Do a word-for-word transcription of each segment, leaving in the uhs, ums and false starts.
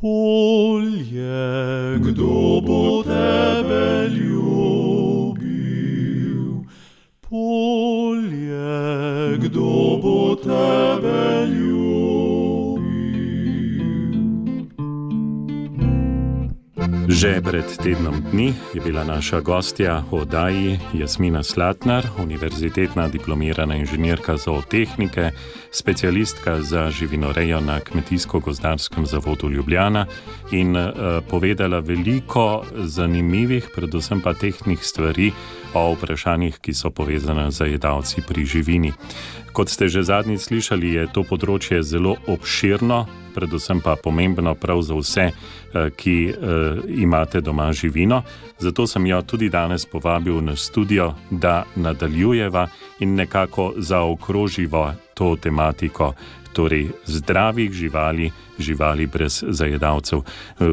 Polje, kdo bo tebe ljubil? Polje, kdo bo tebe ljubil? Že pred tednom dni je bila naša gostja v oddaji Jasmina Slatnar, univerzitetna diplomirana inženirka zootehnike, specialistka za živinorejo na Kmetijsko-gozdarskem zavodu Ljubljana in uh, povedala veliko zanimivih, predvsem pa tehničnih stvari o vprašanjih, ki so povezane z jedavci pri živini. Kot ste že zadnjič slišali, je to področje zelo obširno, predvsem pa pomembno prav za vse, ki uh, imate doma živino. Zato sem jo tudi danes povabil na studio, da nadaljujeva in nekako zaokroživa to tematiko, torej zdravih živali, živali brez zajedavcev.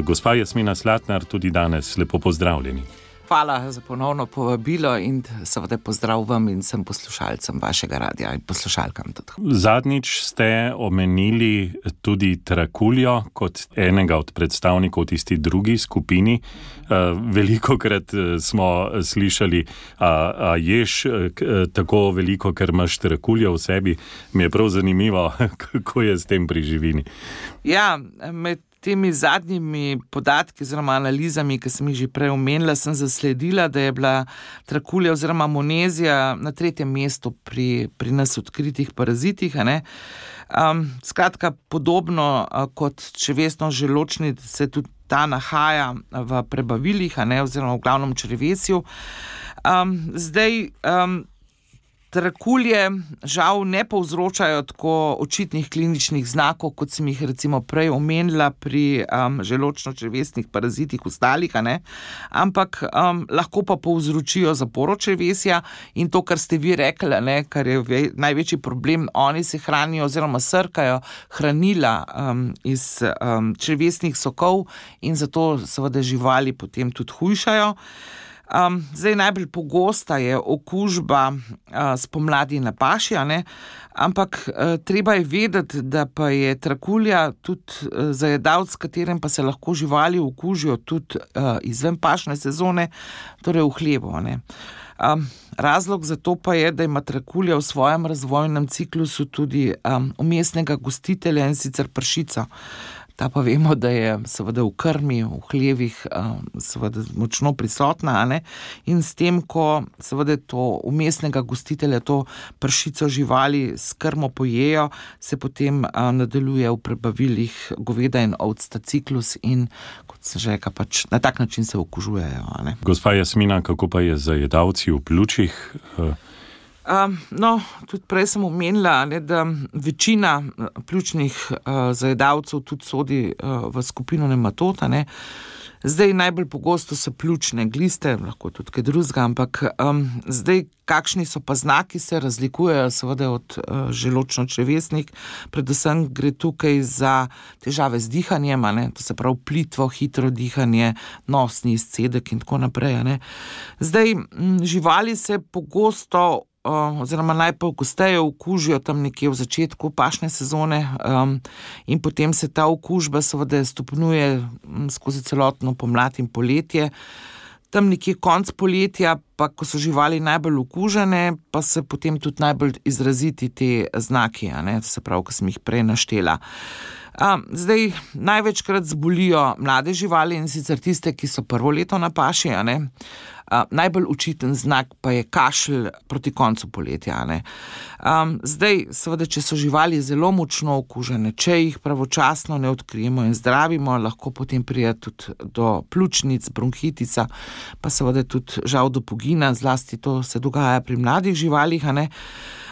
Gospa Jasmina Slatnar, tudi danes lepo pozdravljeni. Hvala za ponovno povabilo in seveda pozdrav vam in vsem poslušalcem vašega radija in poslušalkam tudi. Zadnjič ste omenili tudi trakuljo kot enega od predstavnikov tisti drugi skupini. Velikokrat smo slišali, a, a ješ tako veliko, ker imaš trakuljo v sebi. Mi je prav zanimivo, kako je s tem pri živini. Ja, med temi zadnjimi podatki oziroma analizami, ki sem jih že prej omenila, sem zasledila, da je bila trakulja oziroma monezija na tretjem mestu pri, pri nas odkritih parazitih. A ne? Um, skratka, podobno uh, kot črevesno želodčnik se tudi ta nahaja v prebavilih, a ne, oziroma v glavnem črevesju. Um, zdaj, um, trakulje žal ne povzročajo tako očitnih kliničnih znakov, kot sem jih recimo prej omenila pri um, želodčno-črevesnih parazitih ostalih, a ne? Ampak um, lahko pa povzročijo zaporo črevesja in to, kar ste vi rekli, ne, kar je ve, največji problem, oni se hranijo oziroma srkajo hranila um, iz um, črevesnih sokov in zato seveda živali potem tudi hujšajo. Um, zdaj najbolj pogosta je okužba uh, spomladi na paši, a ne? Ampak uh, treba je vedeti, da pa je trakulja tudi uh, zajedavec, s katerim pa se lahko živali okužijo tudi uh, izven pašne sezone, torej v hlevu. A ne? Um, razlog za to pa je, da ima trakulja v svojem razvojnem ciklusu tudi um, vmesnega gostitelja, in sicer pršico. Ta pa vemo, da je seveda v krmi, v hlevih seveda močno prisotna, a ne? In s tem, ko seveda to vmesnega gostitelja, to pršico živali s krmo pojejo, se potem nadaljuje v prebavilih goveda in ovc ta ciklus in kot se že reka, pač na tak način se okužujejo, a ne? Gospa Jasmina, kako pa je z zajedavci v pljučih? Um, no, tudi prej sem omenila, ne, da večina pljučnih uh, zajedavcev tudi sodi uh, v skupino nematod, ne. Zdaj najbolj pogosto so pljučne gliste, lahko tudi kaj drugega, ampak um, zdaj kakšni so pa znaki, se razlikujejo seveda od uh, želodčno-črevesnih, predvsem gre tukaj za težave z dihanjem, ne, to se pravi plitvo, hitro dihanje, nosni izcedek in tako naprej, ne. Zdaj m, živali se pogosto oziroma najpogosteje okužijo tam nekje v začetku pašne sezone um, in potem se ta okužba seveda stopnjuje skozi celotno pomlad in poletje. Tam nekje konc poletja, pa ko so živali najbolj okužene, pa se potem tudi najbolj izraziti te znaki, a ne, se pravi, ko sem jih prej naštela. Um, zdaj, največkrat zbolijo mlade živali in sicer tiste, ki so prvo leto na paši, a ne. Uh, najbolj očiten znak pa je kašelj proti koncu poletja, a ne. Um, zdaj, seveda, če so živali zelo močno okužene, če jih pravočasno ne odkrijemo in zdravimo, lahko potem pride tudi do pljučnic, bronhitica, pa seveda tudi žal do pogina, zlasti to se dogaja pri mladih živalih, a ne.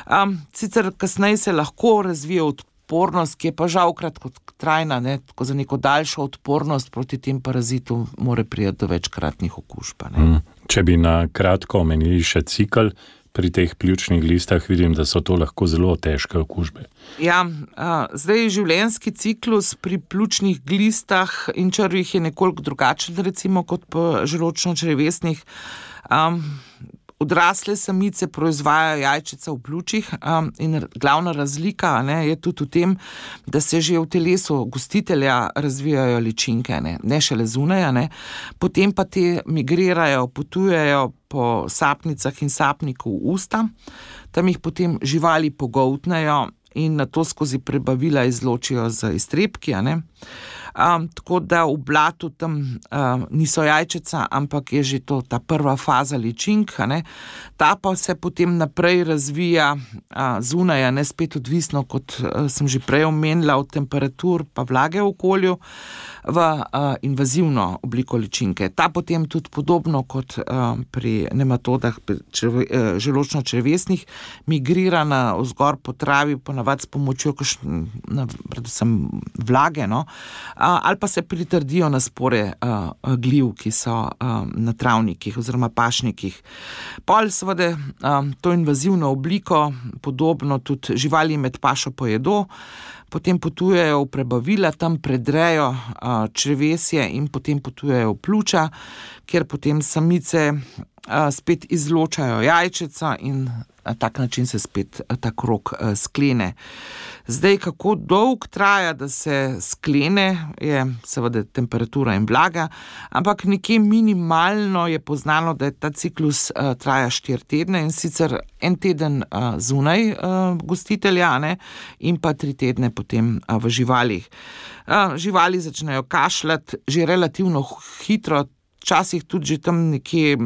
Um, sicer kasneje se lahko razvije odpornost, ki je pa žal kratkotrajna, ne, tako za neko daljšo odpornost proti tem parazitu more priti do večkratnih okužb, ne. Hmm. Če bi na kratko omenili še cikl pri teh pljučnih glistah, vidim, da so to lahko zelo težke okužbe. Ja, a, zdaj življenjski ciklus pri pljučnih glistah in črvih je nekoliko drugačen recimo kot po želodčno-črevesnih. Um, Odrasle samice proizvajajo jajčica v pljučih um, in glavna razlika ne, je tudi v tem, da se že v telesu gostitelja razvijajo ličinke, ne, ne šele zunaj, ne. Potem pa te migrirajo, potujejo po sapnicah in sapniku v usta, tam jih potem živali pogoltnejo in nato skozi prebavila izločijo z iztrebki, a ne. Um, tako da v blatu tam um, niso jajčica, ampak je že to ta prva faza ličink, ne. Ta pa se potem naprej razvija uh, zunaj, ne, spet odvisno, kot uh, sem že prej omenila, od temperatur pa vlage v okolju, v uh, invazivno obliko ličinke. Ta potem tudi podobno kot uh, pri nematodah črve, uh, želočno-črevesnih migrira na vzgor po travi, ponavadi s pomočjo kakšne, predvsem vlage, no, uh, ali pa se pritrdijo na spore uh, gliv, ki so uh, na travnikih oziroma pašnikih. Pol seveda um, to invazivno obliko, podobno tudi živali med pašo pojedo, potem potujejo v prebavila, tam predrejo uh, črevesje in potem potujejo v pljuča, kjer potem samice uh, spet izločajo jajčica in na tak način se spet ta krog uh, sklene. Zdaj, kako dolg traja, da se sklene, je seveda temperatura in vlaga, ampak nekje minimalno je poznano, da je ta ciklus uh, traja štiri tedne in sicer en teden uh, zunaj uh, gostitelja, ne, in pa tri tedne potem uh, v živalih. Uh, živali začnejo kašljati že relativno hitro, včasih tudi že tam nekje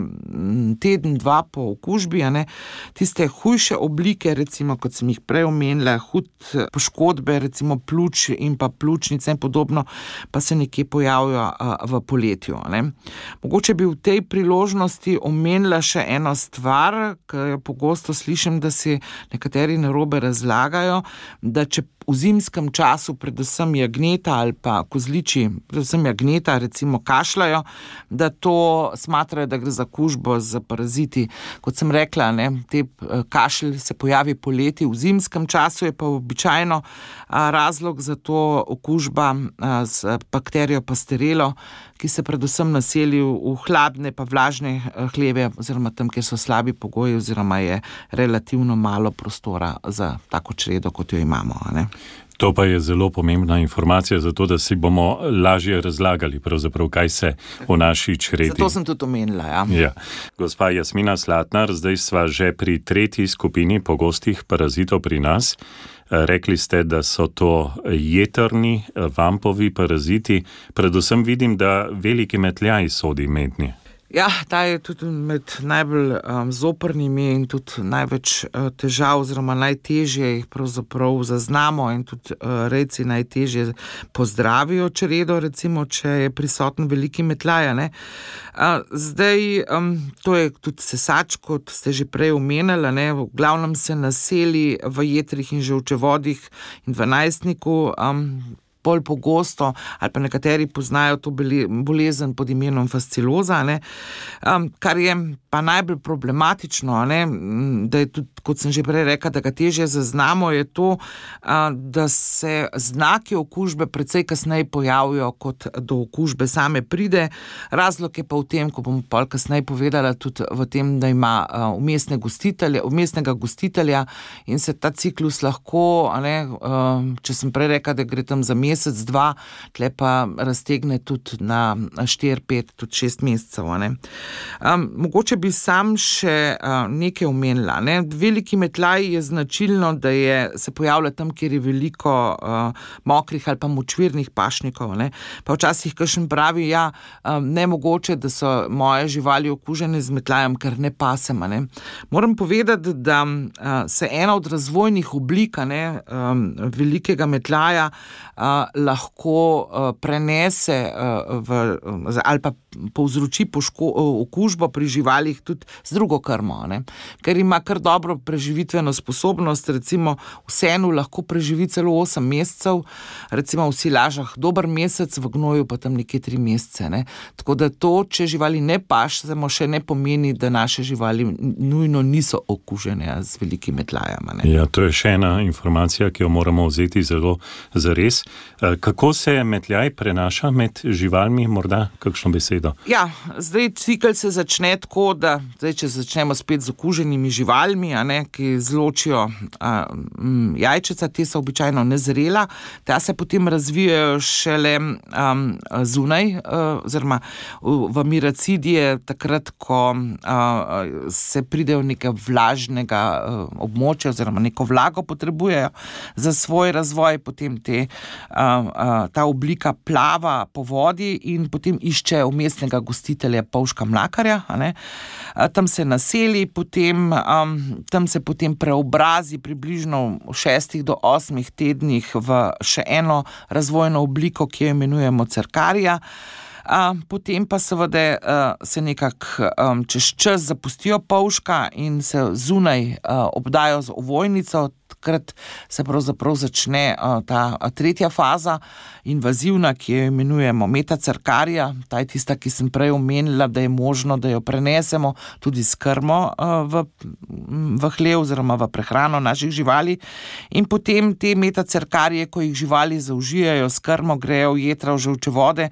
teden, dva po okužbi, a ne. Tiste hujše oblike, recimo, kot sem jih prej omenila, hud poškodbe, recimo pljuč in pa pljučnice in podobno, pa se nekje pojavijo a, v poletju, a ne. Mogoče bi v tej priložnosti omenila še eno stvar, ker pogosto slišim, da si nekateri narobe razlagajo, da če v zimskem času predvsem jagneta ali pa kozliči, predvsem jagneta recimo kašljajo, da to smatrajo, da gre za kužbo z paraziti. Kot sem rekla, ne, te kašelj se pojavi poleti, v zimskem času je pa običajno a, razlog za to okužba a, z bakterijo pastorelo, ki se predvsem naseli v hladne pa vlažne hleve oziroma tam, kjer so slabi pogoji oziroma je relativno malo prostora za tako čredo, kot jo imamo, a ne. To pa je zelo pomembna informacija, zato da si bomo lažje razlagali, pravzaprav, kaj se v naši čredi. Zato sem tudi omenila, ja. Ja. Gospa Jasmina Slatnar, zdaj sva že pri tretji skupini pogostih parazitov pri nas. Rekli ste, da so to jetrni, vampovi paraziti. Predvsem vidim, da veliki metljaj sodi mednje. Ja, ta je tudi med najbolj um, zoprnimi in tudi največ uh, težav oziroma najtežje jih pravzaprav zaznamo in tudi uh, rejci najtežje pozdravijo čredo, recimo, če je prisoten veliki metljaj, ne. Uh, zdaj, um, to je tudi sesač, kot ste že prej omenili, ne, v glavnem se naseli v jetrih in žolčevodih in v najstniku, um, bolj pogosto, ali pa nekateri poznajo to bolezen pod imenom fasciloza, ne, um, kar je pa najbolj problematično, ne, da je tudi, kot sem že prej rekla, da ga težje zaznamo, je to, uh, da se znaki okužbe precej kasneje pojavijo, kot do okužbe same pride. Razlog je pa v tem, ko bom pol kasneje povedala, tudi v tem, da ima uh, umestne gostitelje, umestnega gostitelja in se ta ciklus lahko, ne, uh, če sem prej rekla, da gre tam za mesec, dva, tle pa raztegne tudi na štiri, pet, tudi šest mesecev, ne. Um, mogoče bi sam še uh, nekaj omenila, ne. Veliki metljaj je značilno, da je, se pojavlja tam, kjer je veliko uh, mokrih ali pa močvirnih pašnikov, ne. Pa včasih kakšen pravi, ja, um, nemogoče, da so moje živali okužene z metljajem, ker ne pasem, ne. Moram povedati, da uh, se ena od razvojnih oblik, ne, um, velikega metljaja uh, lahko uh, prenese uh, v, uh, ali pa povzroči poško, uh, okužbo pri živalih tudi z drugo krmo, ne. Ker ima kar dobro preživitveno sposobnost, recimo v senu lahko preživi celo osem mesecev, recimo v silažah dober mesec, v gnoju pa tam nekje tri mesece, ne. Tako da to, če živali ne pašemo, še ne pomeni, da naše živali nujno niso okužene z velikim metlajem, ne. Ja, to je še ena informacija, ki jo moramo vzeti zelo zares. Kako se metljaj prenaša med živalmi, morda kakšno besedo? Ja, zdaj cikel se začne tako, da zdaj, če začnemo spet z okuženimi živalmi, a ne, ki zločijo a, m, jajčeca, te so običajno nezrela, ta se potem razvijajo šele um, zunaj, uh, oziroma v, v miracidije, takrat, ko uh, se pridejo neke vlažnega uh, območja, oziroma neko vlago potrebujejo za svoj razvoj, potem te uh, ta oblika plava po vodi in potem išče umestnega gostitelja polžka mlakarja, a ne. Tam se naseli, potem, um, tam se potem preobrazi približno v šestih do osmih tednih v še eno razvojno obliko, ki jo imenujemo cerkarija. Uh, potem pa seveda uh, se nekako um, čez čas zapustijo polžka in se zunaj uh, obdajo z ovojnico. Takrat se pravzaprav začne uh, ta uh, tretja faza, invazivna, ki jo imenujemo metacerkarija. Ta je tista, ki sem prej omenila, da je možno, da jo prenesemo tudi s krmo uh, v, v hlev oziroma v prehrano naših živali. In potem te metacerkarije, ko jih živali zaužijajo s krmo, grejo v jetra, v žolčevode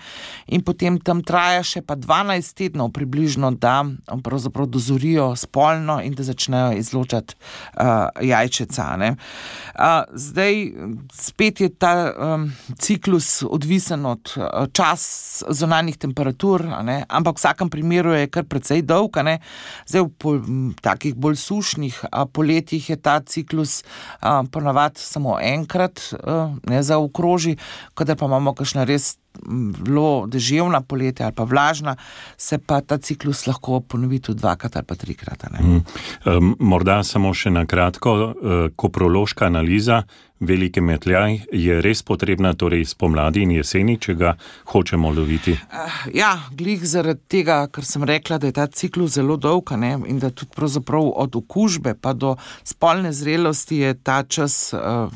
in potem tam traja še pa dvanajst tednov približno, da pravzaprav dozorijo spolno in da začnejo izločati uh, jajčeca, ne. Uh, zdaj spet je ta um, ciklus odvisen od uh, čas zunanjih temperatur, a ne, ampak v vsakem primeru je kar precej dolg, a ne. Zdaj v pol, takih bolj sušnih uh, poletjih je ta ciklus uh, ponavadi samo enkrat uh, ne zaokroži, kadar pa imamo kakšna res bilo deževna poletja ali pa vlažna, se pa ta ciklus lahko ponovi tudi dvakrat ali pa trikrat. Mm. Um, morda samo še na kratko, uh, koprološka analiza velike metljaj je res potrebna torej spomladi in jeseni, če ga hočemo loviti? Uh, ja, glih zaradi tega, ker sem rekla, da je ta ciklus zelo dolg, ne, in da tudi pravzaprav od okužbe pa do spolne zrelosti je ta čas uh,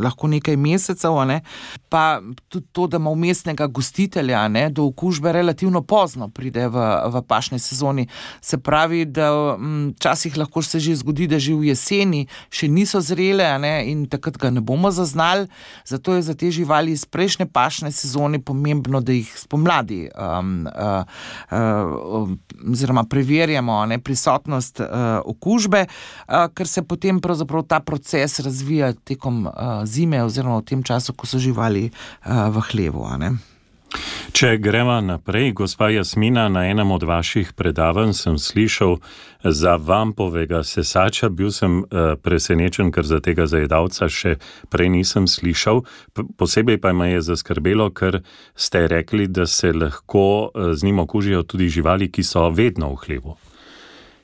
lahko nekaj mesecev, ne, pa tudi to, da ima umestnega gostitelja, ne, do okužbe relativno pozno pride v, v pašni sezoni. Se pravi, da včasih um, lahko se že zgodi, da že v jeseni še niso zrele, ne, in takrat ga ne bomo zaznali, zato je za te živali iz prejšnje pašne sezone pomembno, da jih spomladi um, uh, uh, oziroma preverjamo, ne, prisotnost uh, okužbe, uh, ker se potem pravzaprav ta proces razvija tekom uh, zime oziroma v tem času, ko so živali uh, v hlevu, a ne. Če gremo naprej, gospa Jasmina, na enem od vaših predavanj sem slišal za vampovega sesača, bil sem uh, presenečen, ker za tega zajedavca še prej nisem slišal. P- posebej pa me je zaskrbelo, ker ste rekli, da se lahko uh, z njim okužijo tudi živali, ki so vedno v hlevu.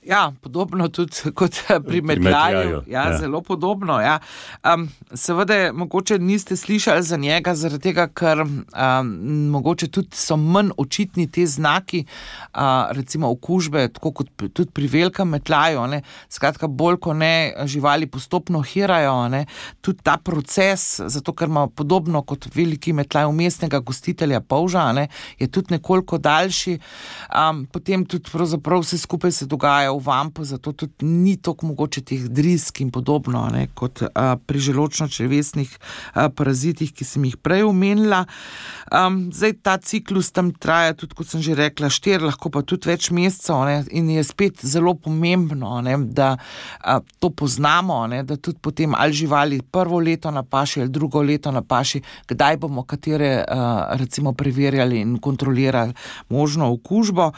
Ja, podobno tudi kot pri metljaju. Ja, ja, zelo podobno, ja. Um, seveda, mogoče niste slišali za njega, zaradi tega, ker um, mogoče tudi so manj očitni te znaki, uh, recimo okužbe, tako kot tudi pri velikem metljaju, ne. Skratka, bolj ko ne živali postopno hirajo, ne, tudi ta proces, zato ker ima podobno kot veliki metljaj umestnega gostitelja polža, ne, je tudi nekoliko daljši. Um, potem tudi pravzaprav vse skupaj se dogaja v vampu, zato tudi ni toliko mogoče teh drisk in podobno, ne, kot a, pri želodčno-črevesnih a, parazitih, ki sem jih prej omenila. Um, zdaj ta ciklus tam traja tudi, kot sem že rekla, štiri, lahko pa tudi več mesecev, ne, in je spet zelo pomembno, ne, da a, to poznamo, ne, da tudi potem ali živali prvo leto na paši ali drugo leto na paši, kdaj bomo katere a, recimo preverjali in kontrolirali možno okužbo.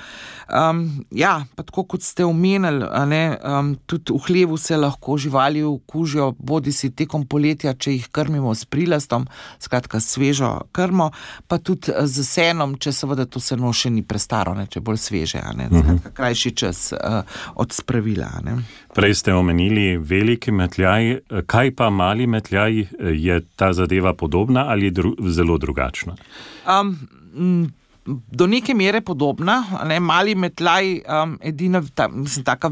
Um, ja, pa tako kot ste omenili, ne, um, tudi v hlevu se lahko živali okužijo, bodi si tekom poletja, če jih krmimo s prilastom, skratka svežo krmo, pa tudi z senom, če seveda to seno še ni prestaro, ne, če bolj sveže, ne, skratka krajši čas uh, od spravila. Ne. Prej ste omenili veliki metljaj, kaj pa mali metljaj, je ta zadeva podobna ali dru- zelo drugačna? Um, m, Do neke mere podobna, ne, mali metljaj, um, edina, ta, mislim, taka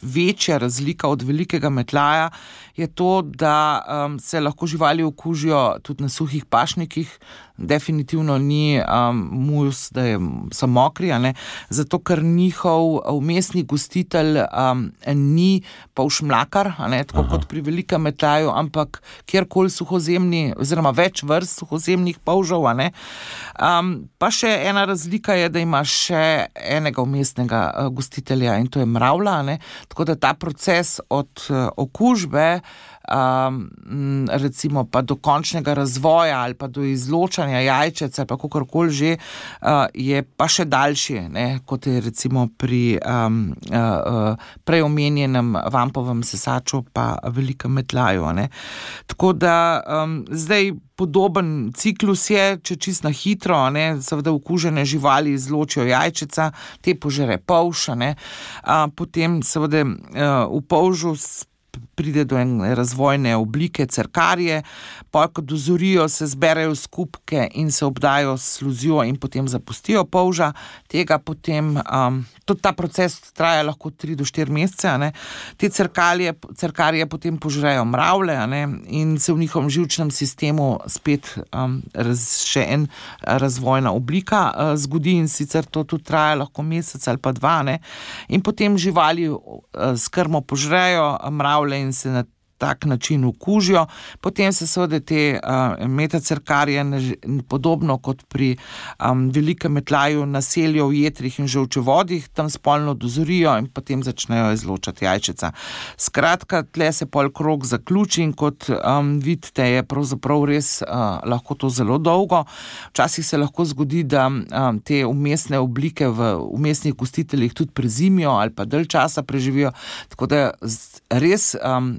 večja razlika od velikega metljaja je to, da um, se lahko živali okužijo tudi na suhih pašnikih, definitivno ni um, mus, da je, so mokri, a ne, zato ker njihov vmesni gostitelj um, ni polšmlakar, a ne, tako Aha. kot pri velikem metljaju, ampak kjerkoli suhozemni, oziroma več vrst suhozemnih polžev, a ne. Um, pa še ena razlika je, da ima še enega vmesnega uh, gostitelja in to je mravlja, a ne, tako da ta proces od uh, okužbe Um, recimo pa do končnega razvoja ali pa do izločanja jajčec ali pa kakorkoli že, uh, je pa še daljši, ne, kot je recimo pri um, uh, prej omenjenem vampovem sesaču pa velikem metljaju, ne. Tako da um, zdaj podoben ciklus je, če čisto na hitro, ne, seveda okužene živali izločijo jajčeca, te požere polž, ne, uh, potem seveda uh, v polžu pride do ene razvojne oblike cerkarije, pa ko dozorijo, se zberejo skupke in se obdajo s sluzjo in potem zapustijo polža, tega potem, um, tudi ta proces traja lahko tri do štiri mesece, a ne, te cerkarije, cerkarije potem požrejo mravlje, a ne, in se v njihovem živčnem sistemu spet um, raz, še en razvojna oblika uh, zgodi in sicer to tudi traja lahko mesec ali pa dva, ne, in potem živali uh, s krmo požrejo mravlje in se na tak način okužijo, potem se seveda te uh, metacerkarije podobno kot pri um, velikem metljaju naselijo v jetrih in žolčevodih, tam spolno dozorijo in potem začnejo izločati jajčeca. Skratka, tle se pol krog zaključi in kot um, vidite, je pravzaprav res uh, lahko to zelo dolgo. Včasih se lahko zgodi, da um, te vmesne oblike v vmesnih gostiteljih tudi prezimijo ali pa dalj časa preživijo, tako da res um,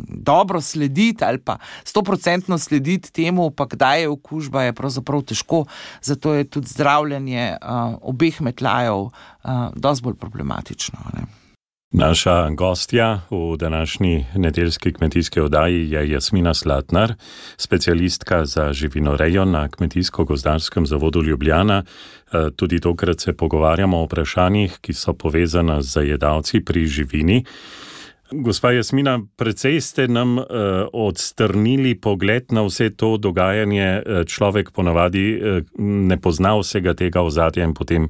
dobro slediti ali pa stoprocentno slediti temu, pa kdaj je okužba, je pravzaprav težko, zato je tudi zdravljenje uh, obeh metljajev uh, dosti bolj problematično, ne. Naša gostja v današnji nedeljski kmetijski oddaji je Jasmina Slatnar, specialistka za živinorejo na Kmetijsko-gozdarskem zavodu Ljubljana. Tudi tokrat se pogovarjamo o vprašanjih, ki so povezana z zajedavci pri živini. Gospa Jasmina, precej ste nam uh, odstrnili pogled na vse to dogajanje. Človek ponavadi uh, ne pozna vsega tega ozadja in potem uh,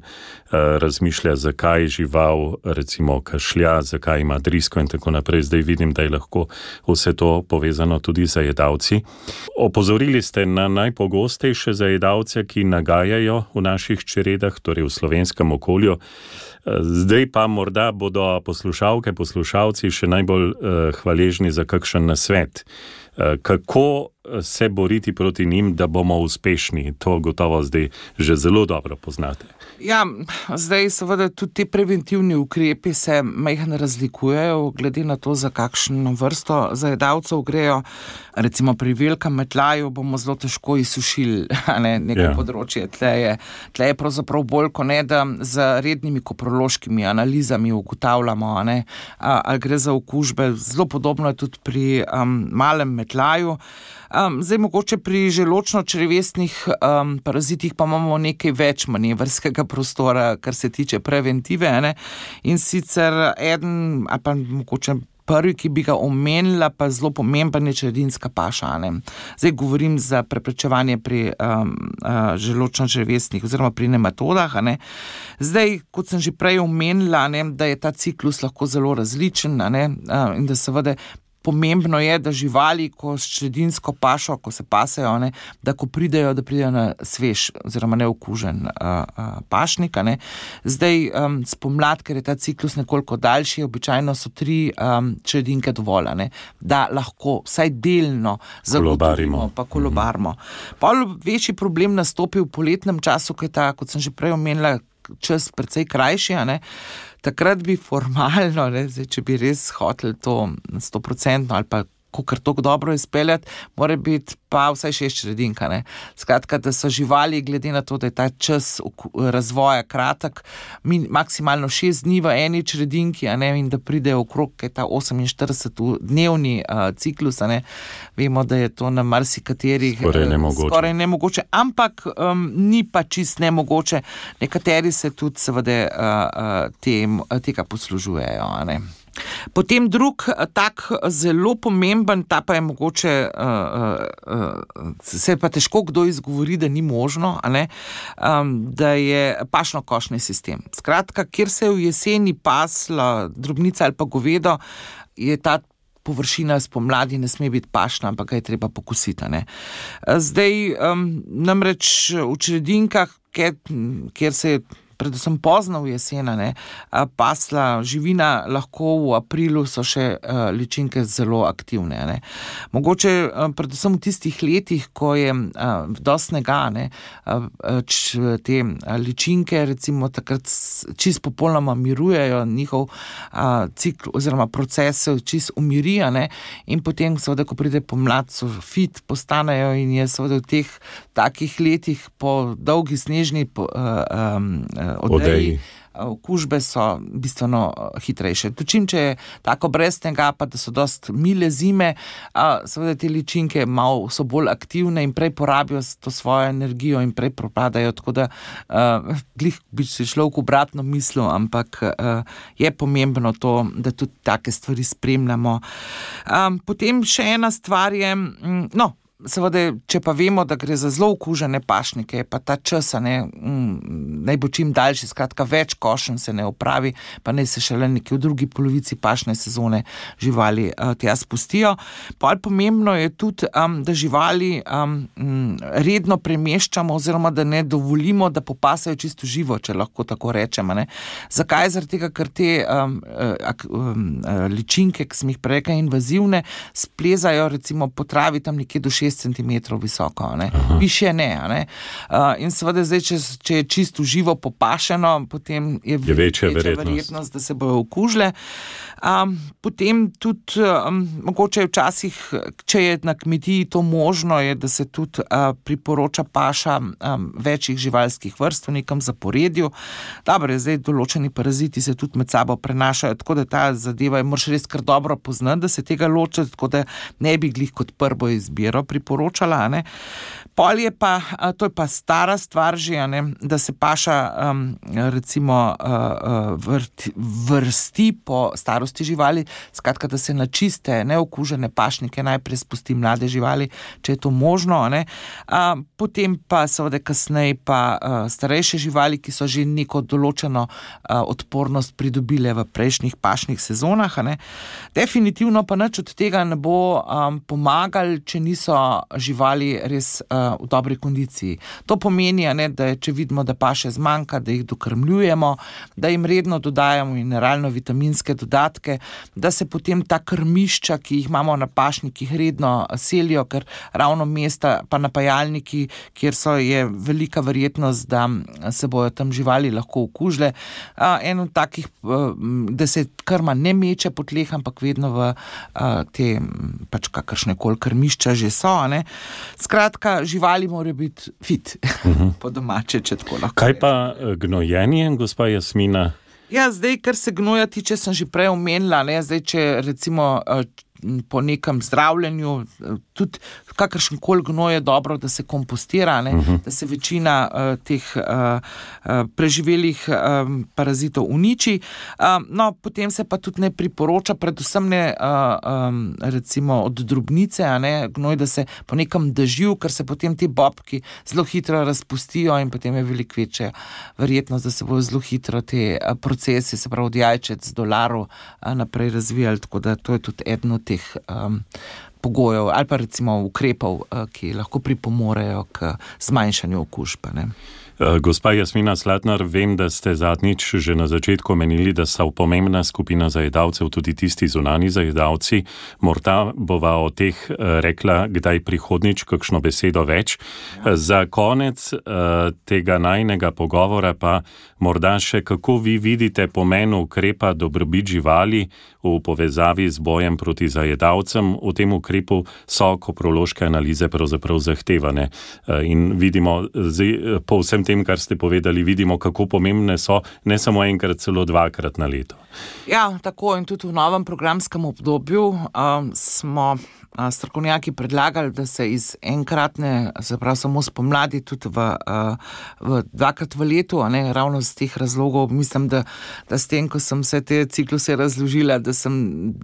razmišlja, zakaj žival recimo kašlja, zakaj ima drisko in tako naprej. Zdaj vidim, da je lahko vse to povezano tudi z zajedavci. Opozorili ste na najpogostejše zajedavce, ki nagajajo v naših čredah, torej v slovenskem okolju. Zdaj pa morda bodo poslušalke, poslušalci še najbolj uh, hvaležni za kakšen nasvet. Uh, kako se boriti proti njim, da bomo uspešni? To gotovo zdaj že zelo dobro poznate. Ja, zdaj seveda tudi te preventivni ukrepi se majhno razlikujejo, glede na to, za kakšno vrsto zajedavcev grejo. Recimo pri velikem metljaju bomo zelo težko izsušili, ne, neko yeah. področje. Tle je, tle je pravzaprav bolj, ko ne, da z rednimi koprološkimi analizami ugotavljamo, ne, ali gre za okužbe. Zelo podobno je tudi pri um, malem metljaju. Um, zdaj mogoče pri želočno-črevesnih um, parazitih pa imamo nekaj več manevrskega prostora, kar se tiče preventive, ne? In sicer eden, ali pa mogoče prvi, ki bi ga omenila, pa zelo pomemben je čredinska paša, ne? Zdaj govorim za preprečevanje pri um, uh, želočno-črevesnih oziroma pri nematodah, ne? Zdaj, kot sem že prej omenila, ne, da je ta ciklus lahko zelo različen, ne? Uh, in da seveda pomembno je, da živali, ko s čredinsko pašo, ko se pasejo, ne, da ko pridejo, da pridejo na svež oziroma neokužen uh, uh, pašnik. Ne. Zdaj, um, spomlad, ker je ta ciklus nekoliko daljši, običajno so tri um, čredinke dovolj, ne, da lahko vsaj delno zagotovimo, pa kolobarimo. Mm-hmm. Pa večji problem nastopi v poletnem času, ko je ta, kot sem že prej omenila, čas precej krajši, ne. Takrat bi formalno, ne, zdaj, če bi res hoteli to stoprocentno ali pa kakor toliko dobro izpeljati, mora biti pa vsaj šest čredinka, ne. Skratka, da so živali, glede na to, da je ta čas razvoja kratek, maksimalno šest dni v eni čredinki, a ne, in da pridejo okrog, kaj ta oseminštiridesetdnevni uh, ciklus, a ne. Vemo, da je to na marsikaterih skoraj nemogoče. Skoraj nemogoče, ampak um, ni pa čist nemogoče. Nekateri se tudi seveda uh, uh, tem, tega poslužujejo, a ne. Potem drug tak zelo pomemben, ta pa je mogoče, uh, uh, se pa težko kdo izgovori, da ni možno, a ne, um, da je pašno-košni sistem. Skratka, kjer se je v jeseni pasla drobnica ali pa govedo, je ta površina spomladi ne sme biti pašna, ampak ga je treba pokositi. Ne. Zdaj, um, namreč v čredinkah, kjer, kjer se je predvsem pozno v jesena, ne, pasla živina, lahko v aprilu so še uh, ličinke zelo aktivne. Ne. Mogoče uh, predvsem v tistih letih, ko je uh, dosti snega, ne, uh, č, te uh, ličinke recimo takrat čist popolnoma mirujejo, njihov uh, cikl oziroma proces se čist umirijo, ne, in potem seveda, ko pride pomlad, so fit postanejo in je seveda v teh takih letih po dolgi snežni po, uh, um, odeji, okužbe so bistveno hitrejše. Točim, če je tako brez snega, pa da so dost mile zime, seveda te ličinke malo so bolj aktivne in prej porabijo to svojo energijo in prej propadajo, tako da uh, glih bi se človek obratno mislil, ampak uh, je pomembno to, da tudi take stvari spremljamo. Um, potem še ena stvar je, mm, no, seveda, če pa vemo, da gre za zelo okužene pašnike, pa ta čas, ne, mm, naj bo čim daljši, skratka več košenj se ne opravi, pa naj se šele nekje v drugi polovici pašne sezone živali uh, tja spustijo. Pol pomembno je tudi, um, da živali um, redno premeščamo oziroma da ne dovolimo, da popasajo čisto živo, če lahko tako rečemo. Ne. Zakaj? Zaradi tega, ker te um, um, ličinke, ki sem jih prej rekla, invazivne, splezajo recimo po travi tam nekje do šest centimetrov visoko, ne. Višje ne, ne. Uh, in seveda zdaj, če, če je čisto živo popašeno, potem je, je večja, večja verjetnost. verjetnost, da se bojo okužile. Um, potem tudi, um, mogoče včasih, če je na kmetiji to možno, je, da se tudi uh, priporoča paša um, večjih živalskih vrst v nekem zaporedju. Dobro, zdaj določeni paraziti se tudi med sabo prenašajo, tako da ta zadeva je moraš res kar dobro poznati, da se tega loči, tako da ne bi glih kot prvo izbiro priporočala, ne. Pol je pa, to je pa stara stvar že, ne, da se paša um, recimo uh, vrti, vrsti po starosti živali, skratka, da se na čiste, neokužene pašnike najprej spusti mlade živali, če je to možno, ne. Uh, potem pa seveda kasneje pa uh, starejše živali, ki so že neko določeno uh, odpornost pridobile v prejšnjih pašnih sezonah, ne. Definitivno pa nič od tega ne bo um, pomagali, če niso živali res uh, v dobri kondiciji. To pomeni, ne, da je, če vidimo, da paše zmanjka, da jih dokrmljujemo, da jim redno dodajamo mineralno-vitaminske dodatke, da se potem ta krmišča, ki jih imamo na pašnikih, redno selijo, ker ravno mesta pa napajalniki, kjer so, je velika verjetnost, da se bojo tam živali lahko okužile. En od takih, da se krma ne meče po tleh, ampak vedno v te pač kakršne koli krmišča že so, ne. Skratka, živali morajo biti fit, uh-huh. po domače, če tako lahko. Kaj pa gnojenje, gospa Jasmina? Ja, zdaj, kar se gnoja tiče, sem že prej omenila, ne, zdaj, če recimo po nekem zdravljenju, tudi kakršen koli gnoj je dobro, da se kompostira, ne, uh-huh. da se večina uh, teh uh, uh, preživelih um, parazitov uniči. Um, no, potem se pa tudi ne priporoča, predvsem ne uh, um, recimo od drobnice, a ne, gnoj, da se po nekem dežju, ker se potem ti bobki zelo hitro razpustijo in potem je veliko večja verjetnost, da se bojo zelo hitro te uh, procesi, se pravi od jajčec do larv uh, naprej razvijali, tako da to je tudi eden od teh um, pogojev ali pa recimo ukrepov, uh, ki lahko pripomorejo k zmanjšanju okužb, ne. Gospa Jasmina Slatnar, vem, da ste zadnjič že na začetku omenili, da so pomembna skupina zajedavcev tudi tisti zunani zajedavci. Morda bova o teh rekla kdaj prihodnič kakšno besedo več. Za konec tega najnega pogovora pa morda še, kako vi vidite pomen ukrepa dobrobit živali v povezavi z bojem proti zajedavcem. V tem ukrepu ukrepov so koprološke analize pravzaprav zahtevane. In vidimo, po vsem tem, kar ste povedali, vidimo, kako pomembne so, ne samo enkrat, celo dvakrat na leto. Ja, tako in tudi v novem programskem obdobju um, smo strokovnjaki predlagali, da se iz enkratne, se pravi samo spomladi, tudi v, v dvakrat v letu, a ne, ravno z teh razlogov, mislim, da, da s tem, ko sem vse te cikluse razložila, da sem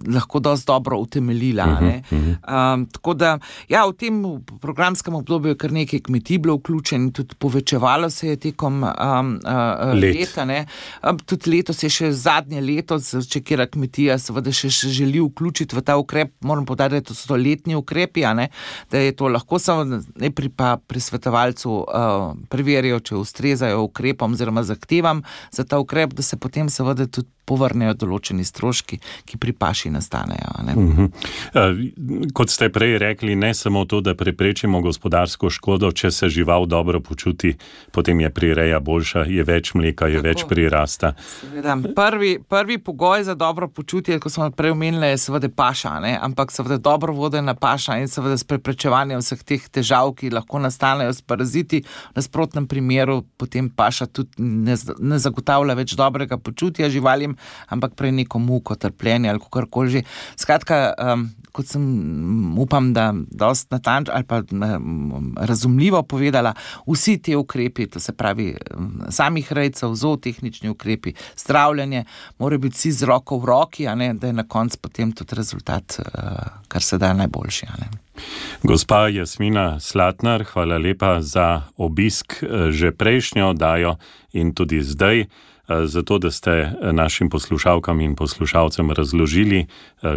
lahko dosti dobro utemeljila. Uh-huh, ne. Uh-huh. Um, tako da, ja, v tem programskem obdobju je kar nekaj kmetij bilo vključen, tudi povečevalo se je tekom um, uh, Let. leta. Ne. Um, tudi letos je še zadnje leto, če kjera kmetija seveda še, še želi vključiti v ta ukrep, moram povedati, da so to letni ukrepi, a ne, da je to lahko samo najprej pa pri svetovalcu uh, preverijo, če ustrezajo ukrepom oziroma zahtevam za ta ukrep, da se potem seveda tudi povrnejo določeni stroški, ki pri paši nastanejo. Ne? Uh-huh. Uh, kot ste prej rekli, ne samo to, da preprečimo gospodarsko škodo, če se žival dobro počuti, potem je prireja boljša, je več mleka, je Tako. več prirasta. Seveda, prvi, prvi pogoj za dobro počutje, ko smo prej omenili, je seveda paša, ne? Ampak seveda dobro vodena paša in seveda s preprečevanjem vseh teh težav, ki lahko nastanejo s paraziti, v nasprotnem primeru potem paša tudi ne, ne zagotavlja več dobrega počutja živalim, ampak prej neko muko, trpljenje ali kakorkoli že. Skratka, um, kot sem upam, da dosti natančno ali pa um, razumljivo povedala, vsi te ukrepi, to se pravi um, samih rejcev, zootehnični ukrepi, zdravljenje, morajo biti vsi z roko v roki, a ne, da je na koncu potem tudi rezultat, uh, kar se da najboljši. A ne. Gospa Jasmina Slatnar, hvala lepa za obisk že prejšnjo oddajo in tudi zdaj, zato da ste našim poslušalkam in poslušalcem razložili,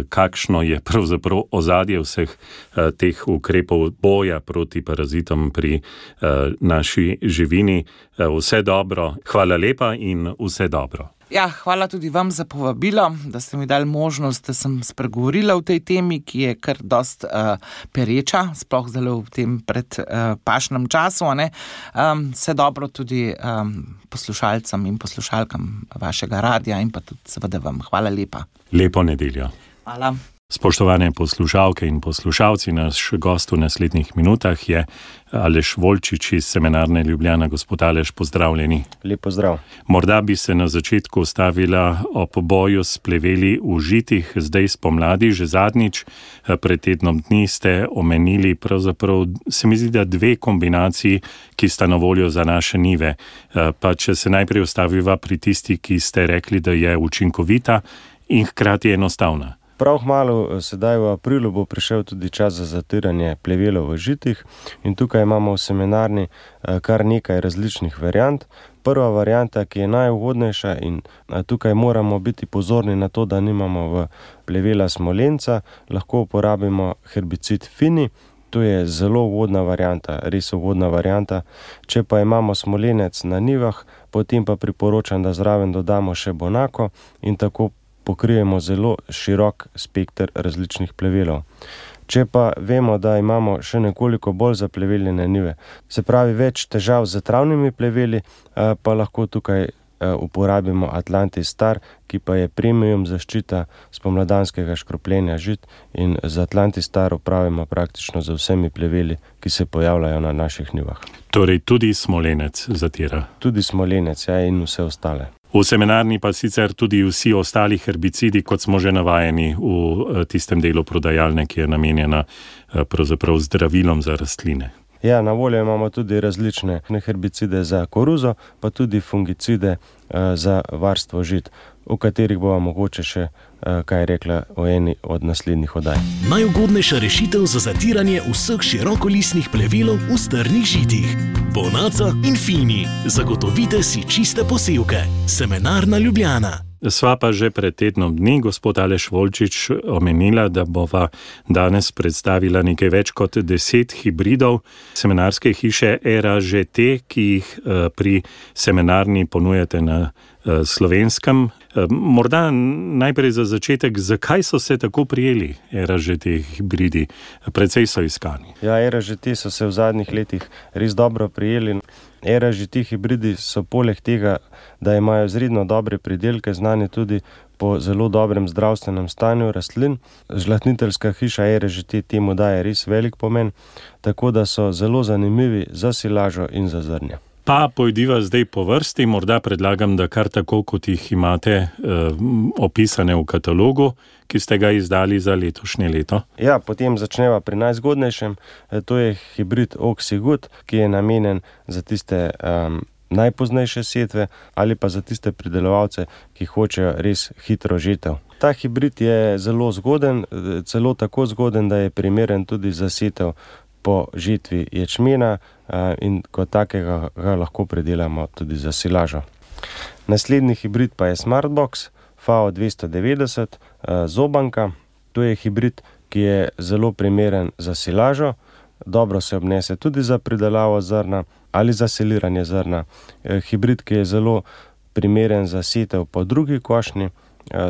kakšno je pravzaprav ozadje vseh teh ukrepov boja proti parazitom pri naši živini. Vse dobro, hvala lepa in vse dobro. Ja, hvala tudi vam za povabilo, da ste mi dali možnost, da sem spregovorila o tej temi, ki je kar dost uh, pereča, sploh zelo v tem pred uh, pašnem času. Ne? Um, vse dobro tudi um, poslušalcem in poslušalkam vašega radija in pa tudi seveda vam. Hvala lepa. Lepo nedeljo. Hvala. Spoštovane poslušalke in poslušalci, naš gost v naslednjih minutah je Aleš Volčič iz Semenarne Ljubljana. Gospod Aleš, pozdravljeni. Lep pozdrav. Morda bi se na začetku stavila ob boju s pleveli v žitih, zdaj spomladi, že zadnjič, pred tednom dni ste omenili pravzaprav, se mi zdi, da dve kombinaciji, ki sta na voljo za naše njive. Pa če se najprej ostaviva pri tisti, ki ste rekli, da je učinkovita in hkrati enostavna. Prav kmalu, sedaj v aprilu, bo prišel tudi čas za zatiranje plevelov v žitih in tukaj imamo v Semenarni kar nekaj različnih variant. Prva varianta, ki je najugodnejša in tukaj moramo biti pozorni na to, da nimamo v plevela smolenca, lahko uporabimo herbicid Fini. To je zelo ugodna varianta, res ugodna varianta. Če pa imamo smolenec na njivah, potem pa priporočam, da zraven dodamo še bonako in tako pokrijemo zelo širok spekter različnih plevelov. Če pa vemo, da imamo še nekoliko bolj zapleveljene njive, se pravi več težav z travnimi pleveli, pa lahko tukaj uporabimo Atlantis Star, ki pa je premium zaščita spomladanskega škropljenja žit in z Atlantis Star upravimo praktično z vsemi pleveli, ki se pojavljajo na naših njivah. Torej tudi smolenec zatira. Tudi smolenec, ja, in vse ostale. V Semenarni pa sicer tudi vsi ostali herbicidi, kot smo že navajeni v tistem delu prodajalne, ki je namenjena pravzaprav zdravilom za rastline. Ja, na voljo imamo tudi različne herbicide za koruzo, pa tudi fungicide za varstvo žit, o katerih bova mogoče še kaj rekla o eni od naslednjih oddaj. Najugodnejša rešitev za zatiranje vseh širokolistnih plevelov v strnih žitih. Bonaca in Fini. Zagotovite si čiste posevke. Semenarna Ljubljana. Sva pa že pred tednom dni, gospod Aleš Volčič, omenila, da bova danes predstavila nekaj več kot deset hibridov semenarske hiše Era že te, ki jih pri Semenarni ponujate na slovenskem. Morda najprej za začetek, zakaj so se tako prijeli Era G T hibridi? Precej so iskani. Ja, Era G T so se v zadnjih letih res dobro prijeli. Era G T hibridi so poleg tega, da imajo izredno dobre pridelke, znani tudi po zelo dobrem zdravstvenem stanju rastlin. Žlahtniteljska hiša Era G T temu daje res velik pomen, tako da so zelo zanimivi za silažo in za zrnje. Pa pojdiva zdaj po vrsti, morda predlagam, da kar tako, kot jih imate eh, opisane v katalogu, ki ste ga izdali za letošnje leto. Ja, potem začneva pri najzgodnejšem. To je hibrid Oxygood, ki je namenjen za tiste um, najpoznejše setve ali pa za tiste pridelovalce, ki hočejo res hitro žetev. Ta hibrid je zelo zgoden, celo tako zgoden, da je primeren tudi za setev po žetvi ječmena in kot takega ga lahko pridelamo tudi za silažo. Naslednji hibrid pa je Smartbox F A O dvesto devetdeset zobanka. To je hibrid, ki je zelo primeren za silažo, dobro se obnese tudi za pridelavo zrna ali za siliranje zrna. Hibrid, ki je zelo primeren za setev po drugi košnji,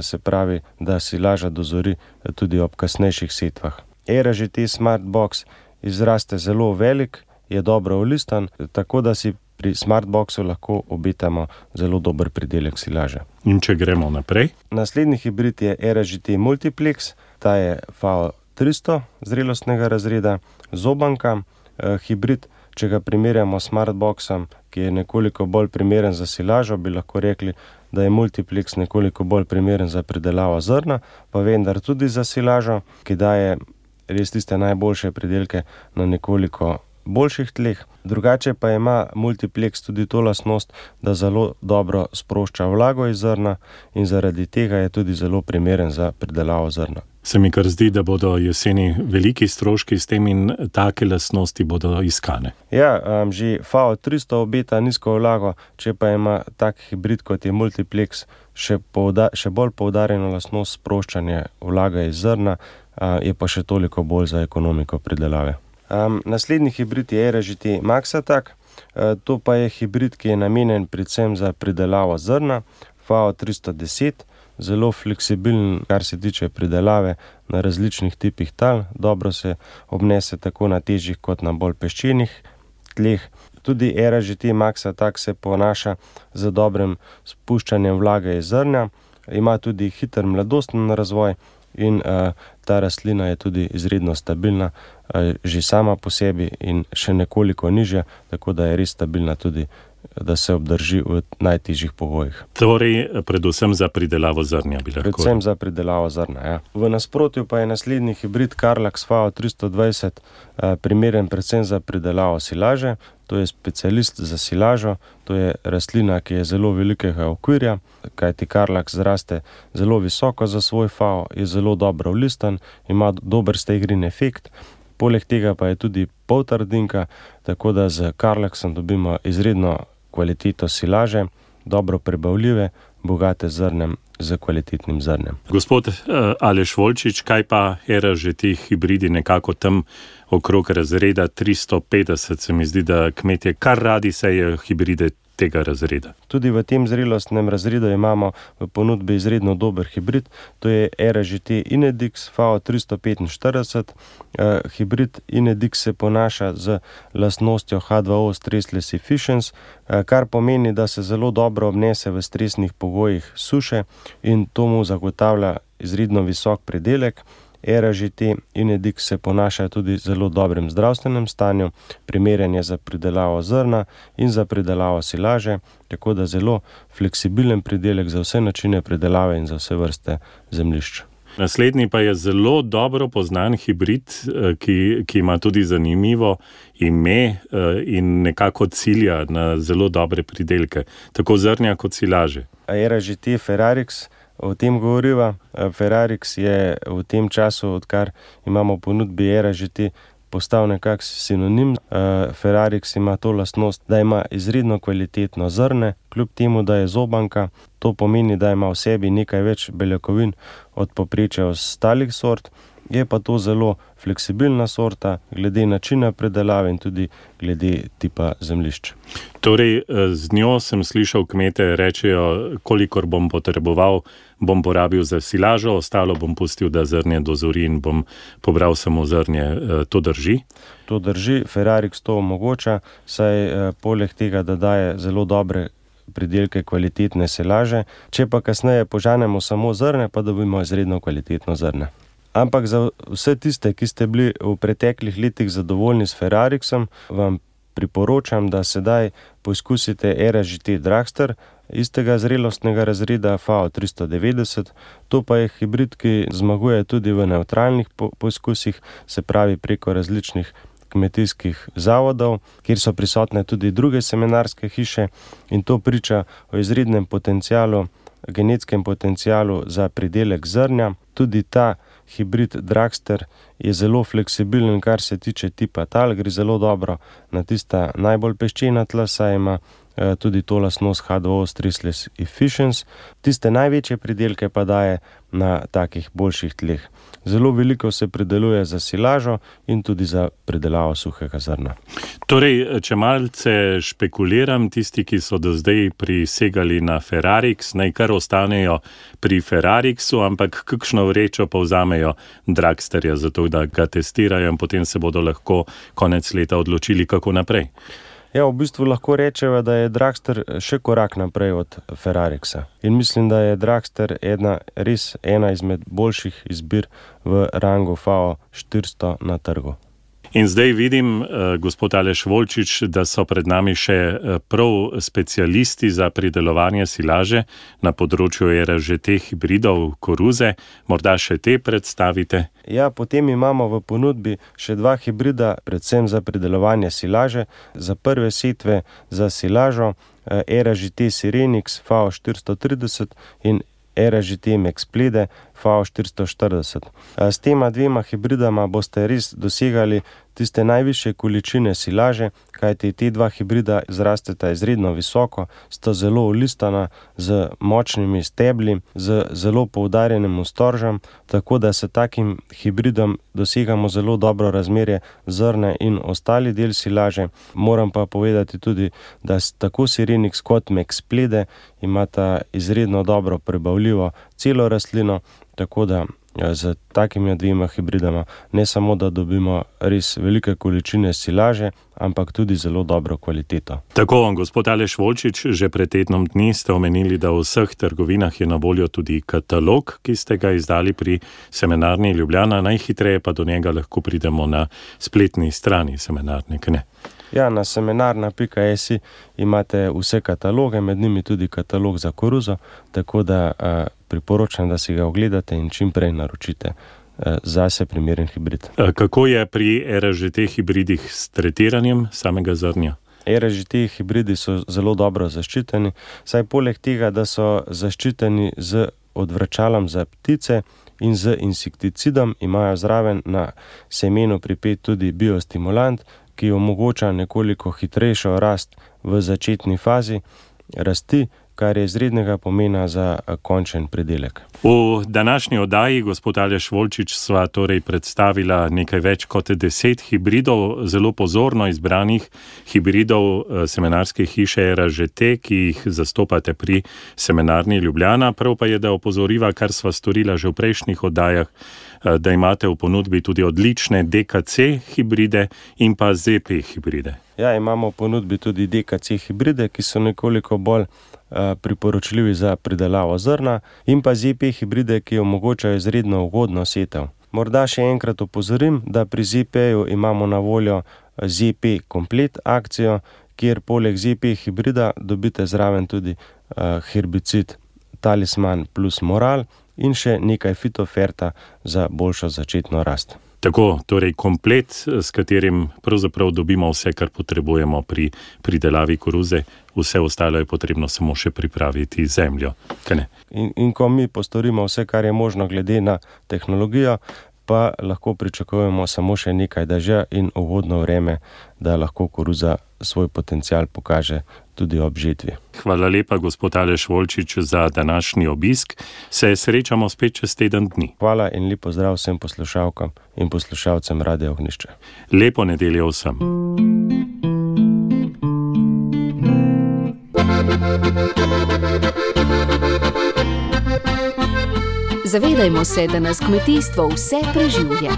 se pravi, da silaža dozori tudi ob kasnejših setvah. Era G T Smartbox izraste zelo velik, je dobro olistan, tako da si pri Smartboxu lahko obetamo zelo dober pridelek silaže. In če gremo naprej? Naslednji hibrid je Era G T Multiplex, ta je F A O tristo zrelostnega razreda, zobanka, eh, hibrid, če ga primerjamo s Smartboxom, ki je nekoliko bolj primeren za silažo, bi lahko rekli, da je Multiplex nekoliko bolj primeren za pridelavo zrna, pa vendar tudi za silažo, ki daje res tiste najboljše pridelke na nekoliko boljših tleh. Drugače pa ima Multiplex tudi to lastnost, da zelo dobro sprošča vlago iz zrna in zaradi tega je tudi zelo primeren za pridelavo zrna. Se mi kar zdi, da bodo jeseni veliki stroški s tem in take lastnosti bodo iskane. Ja, um, že F A O tristo obeta nizko vlago, če pa ima tak hibrid kot je Multiplex še, pouda, še bolj poudarjeno lastnost sproščanja vlaga iz zrna, uh, je pa še toliko bolj za ekonomiko pridelave. Um, naslednji hibrid je Era G T Maxatak, uh, to pa je hibrid, ki je namenjen predvsem za pridelavo zrna, F A O tristo deset, zelo fleksibilen, kar se tiče pridelave na različnih tipih tal, dobro se obnese tako na težjih kot na bolj peščenih tleh. Tudi Era G T Maxatak se ponaša z dobrim spuščanjem vlage iz zrnja, ima tudi hiter mladosten razvoj in uh, ta rastlina je tudi izredno stabilna, uh, že sama po sebi in še nekoliko nižja, tako da je res stabilna tudi, da se obdrži v najtežjih pogojih. Torej, predvsem za pridelavo zrnja bi lahko. Predvsem za pridelavo zrna, ja. V nasprotju pa je naslednji hibrid Carlax F A O tristo dvajset uh, primeren predvsem za pridelavo silaže. To je specialist za silažo, to je rastlina, ki je zelo velikega okvirja, kajti Carlax zraste zelo visoko za svoj F A O, je zelo dobro olistan, ima dober stegrin efekt, poleg tega pa je tudi poltrdinka, tako da z Carlaxom dobimo izredno kvaliteto silaže, dobro prebavljive, bogate zrnem, z kvalitetnim zrnem. Gospod uh, Aleš Volčič, kaj pa Era G T hibridi nekako tam okrog razreda tristo petdeset, se mi zdi, da kmetje kar radi sejejo hibride tega razreda. Tudi v tem zrelostnem razredu imamo v ponudbi izredno dober hibrid, to je Era G T Inedix F A O tristo petinštirideset. Uh, hibrid Inedix se ponaša z lastnostjo H dva O Stressless Efficiency, uh, kar pomeni, da se zelo dobro obnese v stresnih pogojih suše in to mu zagotavlja izredno visok pridelek. Era G T Inedix se ponaša tudi zelo dobrem zdravstvenem stanju, primeren je za pridelavo zrna in za pridelavo silaže, tako da zelo fleksibilen pridelek za vse načine pridelave in za vse vrste zemljišč. Naslednji pa je zelo dobro poznan hibrid, ki, ki ima tudi zanimivo ime in nekako cilja na zelo dobre pridelke, tako zrnja kot silaže. Era G T Ferrarix, o tem govoriva. Ferrarix je v tem času, odkar imamo v ponudbi Era G T, postal nekak sinonim. Ferrarix ima to lastnost, da ima izredno kvalitetno zrne, kljub temu, da je zobanka. To pomeni, da ima v sebi nekaj več beljakovin od povprečja ostalih sort Je pa to zelo fleksibilna sorta, glede načina predelave in tudi glede tipa zemljišč. Torej, z njo sem slišal kmete rečejo, kolikor bom potreboval, bom porabil za silažo, ostalo bom pustil, da zrnje dozori in bom pobral samo zrnje. To drži? To drži, Ferrarix to omogoča, saj eh, poleg tega, da daje zelo dobre pridelke kvalitetne silaže, če pa kasneje požanemo samo zrne, pa dobimo izredno kvalitetno zrne. Ampak za vse tiste, ki ste bili v preteklih letih zadovoljni s Ferrarixom, vam priporočam, da sedaj poizkusite Era G T Dragster, istega zrelostnega razreda F A O tristo devetdeset. To pa je hibrid, ki zmaguje tudi v nevtralnih po- poizkusih, se pravi preko različnih kmetijskih zavodov, kjer so prisotne tudi druge semenarske hiše, in to priča o izrednem potencialu, genetskem potencialu za pridelek zrnja. Tudi ta hibrid Dragster je zelo fleksibilen, kar se tiče tipa tal, gre zelo dobro na tista najbolj peščena tla, saj ima eh, tudi to lastnost H dva O stressless efficiency. Tiste največje pridelke pa daje na takih boljših tleh. Zelo veliko se prideluje za silažo in tudi za pridelavo suhega zrna. Torej, če malce špekuliram, tisti, ki so do zdaj prisegali na Ferrarix, naj kar ostanejo pri Ferrarixu, ampak kakšno vrečo pa vzamejo Dragsterja, zato da ga testirajo in potem se bodo lahko konec leta odločili, kako naprej. Ja, v bistvu lahko rečeva, da je Dragster še korak naprej od Ferrarixa. In mislim, da je Dragster ena, res ena izmed boljših izbir v rangu F A O štiristo na trgu. In zdaj vidim, gospod Aleš Volčič, da so pred nami še prav specialisti za pridelovanje silaže na področju Era G T hibridov koruze. Morda še te predstavite? Ja, potem imamo v ponudbi še dva hibrida, predvsem za pridelovanje silaže. Za prve setve za silažo Era G T Sirenix F A O štiristo trideset in Era G T Mexplede F A O štiristo štirideset. S tema dvema hibridama boste res dosegali tiste najvišje količine silaže, kajti te dva hibrida zrasteta izredno visoko, sta zelo olistana, z močnimi stebli, z zelo poudarjenim storžem, tako da s takim hibridom dosegamo zelo dobro razmerje zrne in ostali del silaže. Moram pa povedati tudi, da tako Sirenix kot Mexplede imata izredno dobro prebavljivo celo rastlino, tako da z takimi dvema hibridama ne samo, da dobimo res velike količine silaže, ampak tudi zelo dobro kvaliteto. Tako, gospod Aleš Volčič, že pred tednom dni ste omenili, da v vseh trgovinah je na voljo tudi katalog, ki ste ga izdali pri Semenarni Ljubljana, najhitreje pa do njega lahko pridemo na spletni strani semenarne, ne? Ja, na semenarna pika si imate vse kataloge, med njimi tudi katalog za koruzo, tako da a, priporočam, da si ga ogledate in čim prej naročite a, zase primeren hibrid. Kako je pri Era G T hibridih s tretiranjem samega zrnja? Era G T hibridi so zelo dobro zaščiteni, saj poleg tega, da so zaščiteni z odvračalom za ptice in z insekticidom, imajo zraven na semenu pripet tudi biostimulant, ki omogoča nekoliko hitrejšo rast v začetni fazi rasti, kar je izrednega pomena za končen pridelek. V današnji oddaji, gospod Aleš Volčič, sva torej predstavila nekaj več kot deset hibridov, zelo pozorno izbranih hibridov semenarske hiše Era G T, ki jih zastopate pri Semenarni Ljubljana. Prav pa je, da opozoriva, kar sva storila že v prejšnjih oddajah, da imate v ponudbi tudi odlične D K C hibride in pa Z P hibride. Ja, imamo v ponudbi tudi D K C hibride, ki so nekoliko bolj priporočljivi za pridelavo zrna, in pa Z P hibride, ki omogočajo izredno ugodno setev. Morda še enkrat opozorim, da pri Z P-ju imamo na voljo Z P komplet akcijo, kjer poleg Z P hibrida dobite zraven tudi herbicid Talisman plus Moral in še nekaj fitoferta za boljšo začetno rast. Tako, torej komplet, s katerim pravzaprav dobimo vse, kar potrebujemo pri pridelavi koruze, vse ostalo je potrebno samo še pripraviti zemljo. In, in ko mi postorimo vse, kar je možno glede na tehnologijo, pa lahko pričakujemo samo še nekaj dežja in ugodno vreme, da lahko koruza svoj potencial pokaže tudi ob žetvi. Hvala lepa, gospod Aleš Volčič, za današnji obisk. Se srečamo spet čez teden dni. Hvala in lep pozdrav vsem poslušalkam in poslušalcem Radia Ognjišče. Lepo nedeljo vsem. Zavedajmo se, da nas kmetijstvo vse preživlja.